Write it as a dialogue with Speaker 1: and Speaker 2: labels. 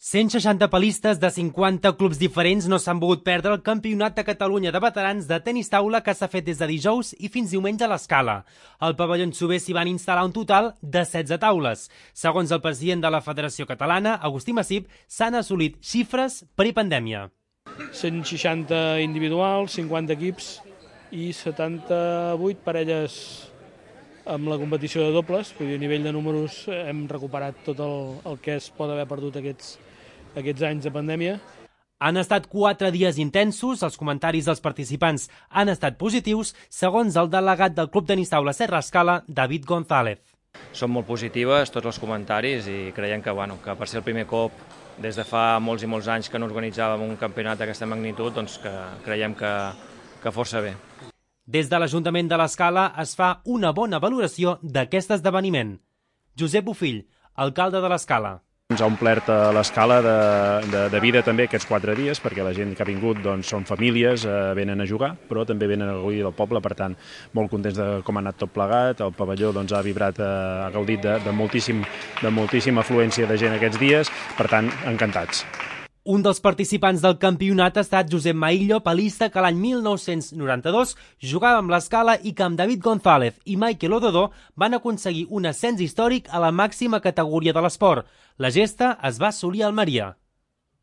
Speaker 1: 160 palistes de 50 clubs diferents no s'han pogut perdre el Campionat de Catalunya de Veterans de tenis taula que s'ha fet des de dijous i fins diumenge a l'Escala. Al pavelló Sober s'hi van instal·lar un total de 16 taules. Segons el president de la Federació Catalana, Agustí Massip, s'han assolit xifres prepandèmia.
Speaker 2: 160 individuals, 50 equips i 78 parelles amb la competició de dobles. Vull dir, a nivell de números hem recuperat tot el que es pot haver perdut aquests anys de pandèmia.
Speaker 1: Han estat 4 dies intensos, els comentaris dels participants han estat positius, segons el delegat del Club Tenis Taula Serra Escala, David González.
Speaker 3: Són molt positives tots els comentaris i creiem que per ser el primer cop des de fa molts i molts anys que no organitzàvem un campionat d'aquesta magnitud, doncs que creiem que força bé.
Speaker 1: Des de l'Ajuntament de l'Escala es fa una bona valoració d'aquest esdeveniment. Josep Bofill, alcalde de l'Escala.
Speaker 4: Ens ha omplert a l'Escala de vida també aquests 4 dies, perquè la gent que ha vingut són famílies, venen a jugar, però també venen a gaudir del poble, per tant, molt contents de com ha anat tot plegat. El pavelló ha vibrat, ha gaudit de moltíssima afluència de gent aquests dies, per tant, encantats.
Speaker 1: Un dels participants del campionat ha estat Josep Maillo, palista que l'any 1992 jugava amb l'Escala i que amb David González i Michael Ododó van aconseguir un ascens històric a la màxima categoria de l'esport. La gesta es va assolir a Almeria.